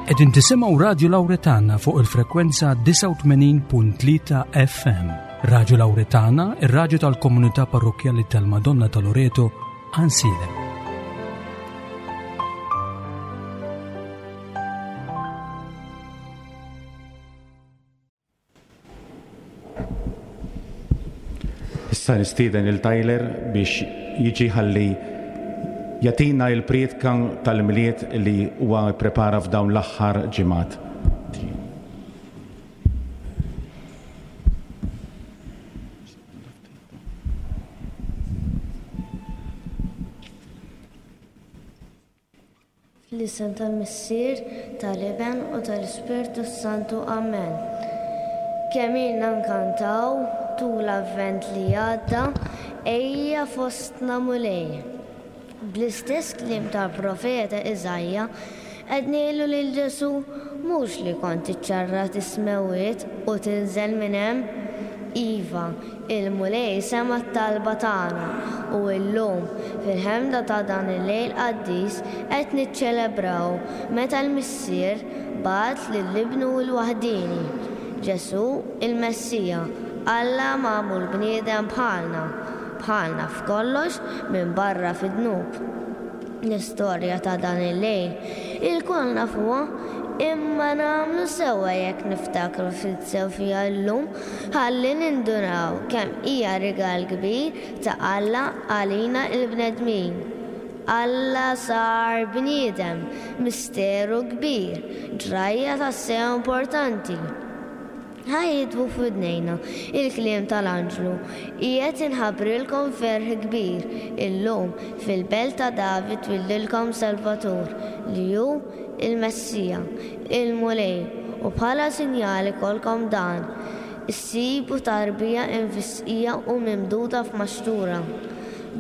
Qegħdin tisimgħu Radju Lawretana fuq il-frekwenza 89.3 FM. Radju Lawretana, ir-radju tal-komunità parrokkjali tal-Madonna ta' Loreto, Ansilem. Issa nistieden lil Tyler biex jiġi ħalli jagħtina l-prietka tal-Milied li huwa pprepara f'dawn l-aħħar ġimgħat. Fl-isem tal-Missier, tal-Iben u tal-Ispirtu s-Santu. Amen. Kemm ilna nkantaw tul l-Avvent li għadda, Ejja fostna Mulej. Bl-istess kliem tal-profeta Iżaija, qed ngħidu lil Ġesù, mhux li kont iċċarrat is-smewwiet u tinżel minn hemm. Iva, Il-Mulej sema' t-talba tagħna u illum, fil-ħemda ta' dan il-lejl qaddis, qed niċċelebraw meta l-Missier bagħat lil Ibnu l-waħdieni, Ġesù il-Messija, Alla magħmul bniedem bħalna, bħalna f'kollox minbarra fid-dnub. L-istorja ta' dan il-lejl ilkoll nafuha, imma nagħmlu sewwa jekk niftakru ftit sew fiha llum ħalli nindunaw kemm hija rigal kbir ta' Alla għalina l-bnedmin. Alla sar bniedem, misteru kbir, ġrajja tassew importanti. Ħa jidwu f'widnejna il-kliem tal-anġlu, Qiegħed inħabbrilkom ferħ kbir, illum, fil-belt ta' David twildilkom Salvatur, li hu il-Messija, il-Mulej, u bħala sinjal ikollkom dan, issibu tarbija imfissqija u mimduda f'maxtura.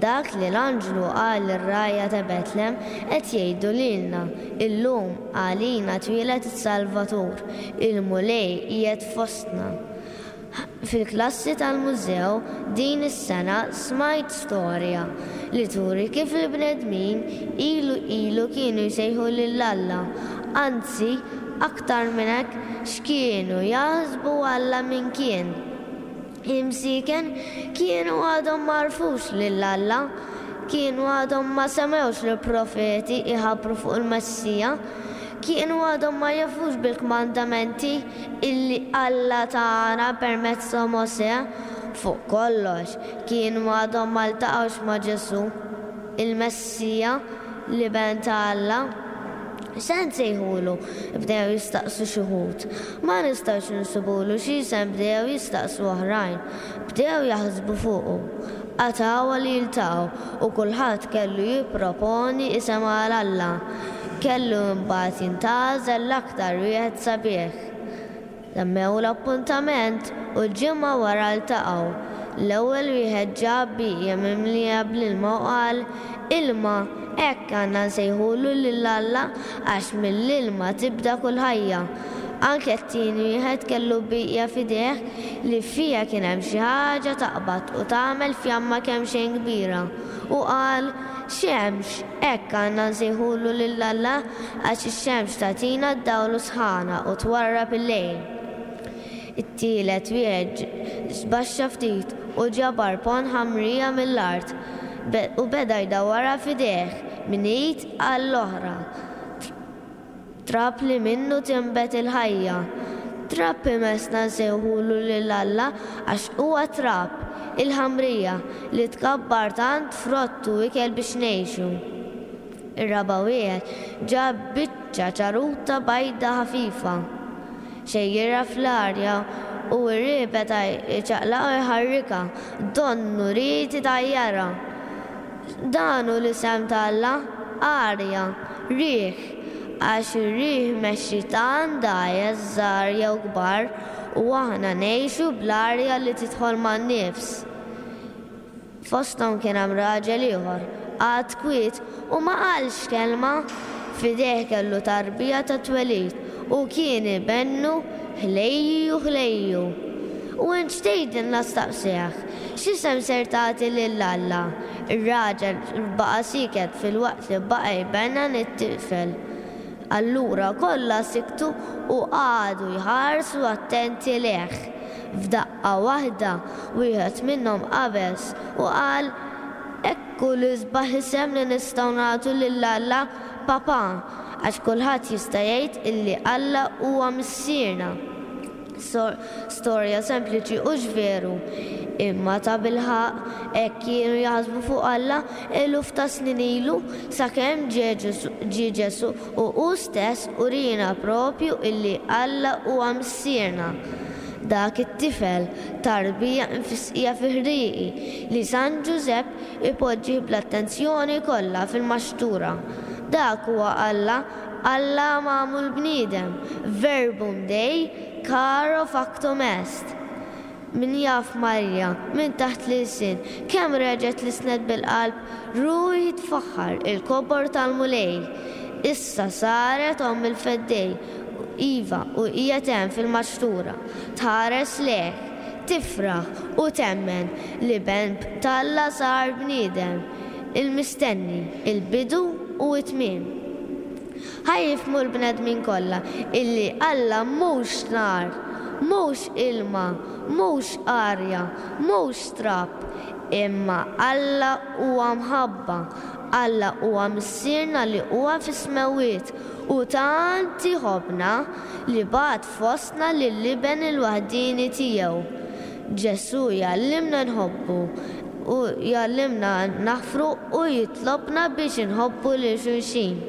Dak li l-anġlu qal lir-rgħajja ta' Betlem qed jgħidu lilna, illum għalina twieled is-Salvatur, il-Mulej qiegħed fostna. Fil-klassi tal-mużew din is-sena smajt storja li turi kif il-bnedmin ilu ilu kienu jsejħu lil Alla, anzi aktar minn hekk x'kienu jaħsbu Alla min kien. Imsieken kienu għadhom ma għarfux lil Alla, kienu għadhom ma semgħux lill-profeti jħabbru fuq il-Messija, kienu għadhom ma jafux bil-kmandamenti illi Alla tana permezz ta' Mosè, fuq kollox, kienu għadhom ma ltaqgħux ma' Ġesù, il-Messija, l-Iben ta' Alla. X'se nsejħulu? bdew jistaqsu xi wħud. Ma nistgħux insibulu xi isem bdew jistaqsu oħrajn. Bdew jaħsbu fuqu. Qatgħuha li jiltaqgħu u kulħadd kellu jipproponi isem għal Alla. Kellu imbagħad jintgħażel l-aktar wieħed sabiħ. Temmew l-appuntament u ġimgħa wara ltaqgħu. L-ewwel wieħed ġab bieqja mimlija bl-ilma u qal, Ilma, hekk għandna nsejħulu lil Alla għax mill-ilma tibda kull ħajja. Anke t-tieni wieħed kellu bieqja f'idejh li fiha kien hemm xi ħaġa taqbad u tagħmel fjamma kemxejn kbira u qal, Xemx, Hekk għandna nsejħulu lil Alla għax ix-xemx tagħtina d-dawl u s-sħana u twarrab il-lejl. It-tielet wieħed żbaxxa ftit u ġabar ponn ħamrija mill-art u beda jdawwarha f'idejh minn id għall-oħra. Trab li minnu tinbet il-ħajja. Trab imessna nsejħulu lil Alla għax huwa trab, il-ħamrija, li tkabbar tant frott u ikel biex ngħixu. Ir-raba' wieħed ġab biċċa ċaruta bajda ħafifa. Xejjirha fl-arja u r-riħ beda jċaqlaqha u jħarrikha, donnu ried itajjarha. Dan hu l-isem ta' Alla, arja, riħ, għax ir-riħ imexxi tant dgħajjes żgħar jew kbar u aħna ngħixu bl-arja li tidħol man-nifs. Fosthom kien hemm raġel ieħor, qagħad kwiet u ma qalx kelma. F'idejh kellu tarbija tat-twelid u kien ibennu ħlejju ħlejju. U int x'tgħidilna staqsejh. X'isem ser tagħti lil Alla? Ir-raġel baqa' sieket filwaqt li baqa' jbennan it-tifel. Allura kollha siktu u qagħdu jħarsu attenti lejh. F'daqqa waħda, wieħed minnhom qabeż u qal, Hekk hu l-isbaħ isem li nistgħu nagħtu lil Alla, Papà, għax kulħadd jista' jgħid illi Alla huwa Missierna. Storja sempliċi hux veru? Imma tabilħaqq hekk kienu jaħsbu fuq Alla eluf ta' snin ilu sakemm ġie Ġesù u hu stess uriena proprju illi Alla huwa Missierna. Dak it-tifel, tarbija mfisqija fi ħrieqi, li San Ġużepp ipoġġih bl-attenzjoni kollha fil-maxtura. Dak huwa Alla Alla magħmul bniedem, Verbum Dei caro factum est. Min jaf Marija, minn taħt l-ilsien, kemm reġgħet lissnet bil-qalb, Ruħi tfaħħar il-kobor tal-Mulej. Issa saret omm il-Feddej, iva, u qiegħed hemm fil-maxtura, tħares lejh, tifraħ u temmen li Ben t'Alla sar bniedem. Il-mistenni, il-bidu u t-tmiem. Ħa jifhmu l-bnedmin kollha illi Alla mhux nar, mhux ilma, mhux arja, mhux trab, imma Alla huwa mħabba, Alla huwa Missierna li huwa fis-smewwiet u tant iħobbna li bagħat fostna lill-Iben il-waħdieni tiegħu. Ġesù jgħallimna nħobbu u jgħallimna naħfru u jitlobna biex inħobbu lil xulxin.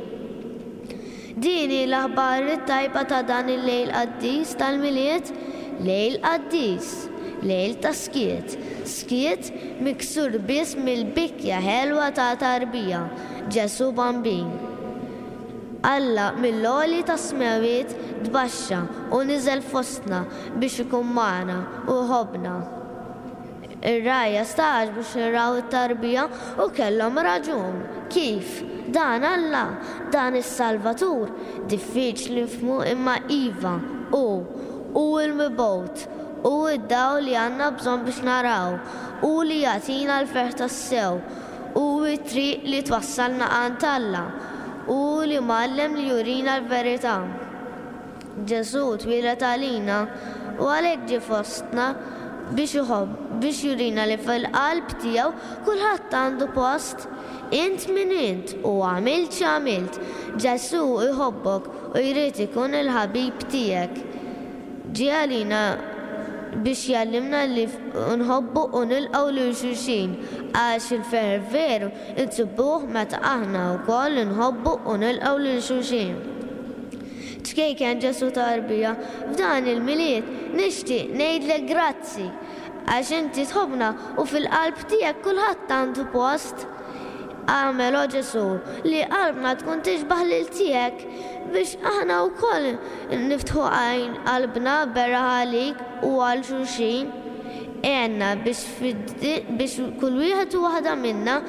Din hi l-aħbar it-tajba ta' dan il-lejl qaddis tal-Milied, lejl qaddis, lejl ta' skiet, skiet miksur biss mill-bikja ħelwa ta' tarbija, Ġesù Bambin. Alla mill-għoli tas-smewwiet tbaxxa u niżel fostna biex ikun magħna u jħobbna. Ir-rgħajja stagħġbu x'ħin raw it-tarbija u kellhom raġun. Kif? Dan Alla? Dan is-Salvatur? Diffiċli nifhmu imma iva, hu. Hu l-Mibgħut. Hu d-dawl li għandna bżonn biex naraw. Hu li jagħtina l-ferħ tassew. Hu t-triq li twassalna għand Alla. Hu l-Imgħallem li jurina l-verità. Ġesù twieled għalina u għalhekk ġie fostna biex iħobb, biex jurina li fil-qalb tiegħu kulħadd għandu post. Int min int u għamilt x'għamilt, Ġesù jħobbok u jrid ikun il-ħabib tiegħek. Ġie għalina biex jgħallimna li nħobbu u nilqgħu lil xulxin għax il-ferħ veru nsibuh meta aħna wkoll inħobbu u nilqgħu lil xulxin. Ċkejken Ġesù tarbija, f'dan il-Milied nixtieq ngħidlek grazzi għax inti tħobbna u fil-qalb tiegħek kulħadd għandu post. Agħmel, o Ġesù, li qalbna tkun tixbah lil tiegħek biex aħna wkoll niftħu għajn qalbna beraħ għalik u għal xulxin. Għenna biex biex kull wieħed u waħda minna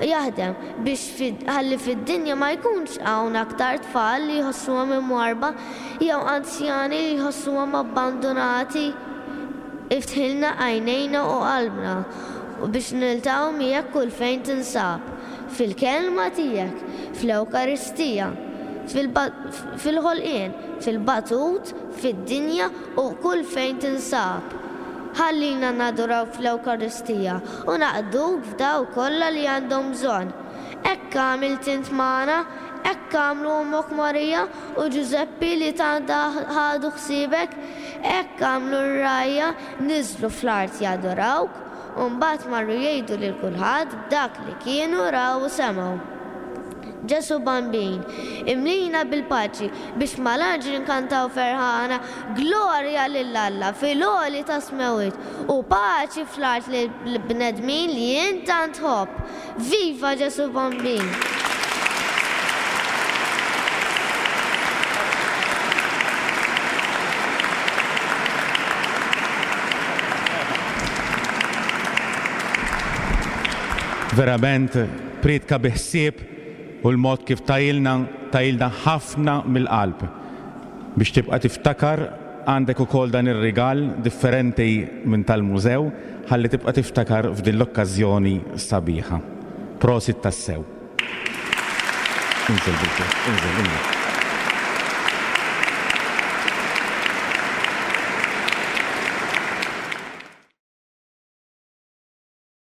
jaħdem biex ħalli fid-dinja ma jkunx hawn aktar tfal li jħossuhom imwarrba jew anzjani li jħossuhom abbandunati. Iftħilna għajnejna u qalbna biex niltaqgħu miegħek kull fejn tinsab, fil-Kelma tiegħek, fl-Ewkaristija, fil-ħolqien, fil-batut, fid-dinja u kull fejn tinsab. Ħallina nadurawk fl-Ewkaristija u naqduk f'dawk kollha li għandhom bżonn. Hekk għamilt int magħna, hekk għamlu ommok Marija u Ġużeppi li tant ħadu ħsiebek, hekk għamlu r-rgħajja, niżlu fl-art jadurawk u mbagħad marru jgħidu lil kulħadd b'dak li kienu raw u semgħu. Ġesù Bambin, imlina bil-paċi biex mal-anġli nkantaw ferħana Glorja lil Alla fil-għoli tas-smewwiet u paċi fl-art lill-bnedmin li int tant tħobb. Viva Ġesù Bambin! Verament, Prietka bi ħsieb u l-mod kif tgħilna, tgħilna ħafna mill-qalb. Biex tibqa' tiftakar, għandek ukoll dan ir-rigal differenti minn tal-mużew ħalli tibqa' tiftakar f'din l-okkażjoni sabiħa. Prosit tassew. Inżel bil-ġieħ, inżel, inżel.